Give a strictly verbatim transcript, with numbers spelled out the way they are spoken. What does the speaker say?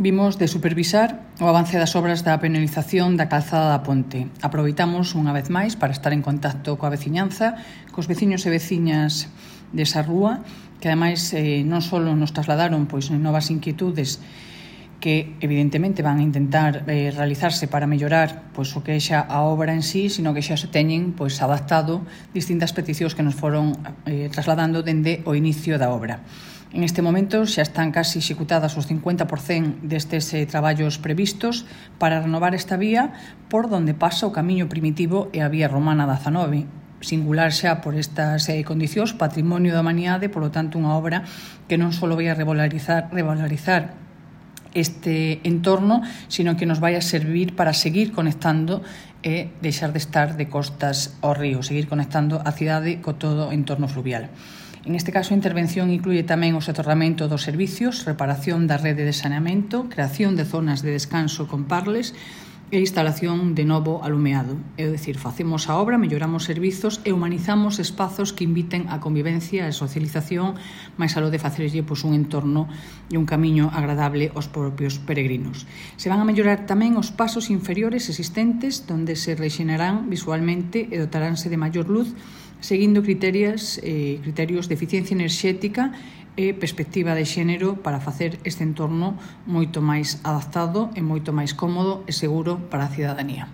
vimos de supervisar o avance das obras da penalización da calzada da Ponte. Aproveitamos unha vez máis para estar en contacto coa veciñanza, cos veciños e veciñas desa rúa, que ademais eh, non só nos trasladaron pois novas inquietudes que evidentemente van a intentar eh, realizarse para mellorar pois, o que é xa a obra en sí, sino que xa se teñen pois, adaptado distintas peticións que nos foron eh, trasladando dende o inicio da obra. En este momento xa están casi executadas os cincuenta por cento destes eh, traballos previstos para renovar esta vía por donde pasa o camiño primitivo e a vía romana dezanove, singular xa por estas eh, condicións, patrimonio da humanidade, por lo tanto unha obra que non só vai a revalorizar, revalorizar este entorno, sino que nos vai a servir para seguir conectando e deixar de estar de costas ao río, seguir conectando a cidade co todo o entorno fluvial. En este caso, a intervención incluye tamén o soterramento dos servicios, reparación da rede de saneamento, creación de zonas de descanso con parles e instalación de novo alumeado. É dicir, facemos a obra, melloramos servizos e humanizamos espazos que inviten a convivencia e socialización, máis aló de facerlle pois, un entorno e un camiño agradable aos propios peregrinos. Se van a mellorar tamén os pasos inferiores existentes, donde se rexenarán visualmente e dotaránse de maior luz, seguindo criterios, eh, criterios de eficiencia enerxética e perspectiva de xénero para facer este entorno moito máis adaptado e moito máis cómodo e seguro para a cidadanía.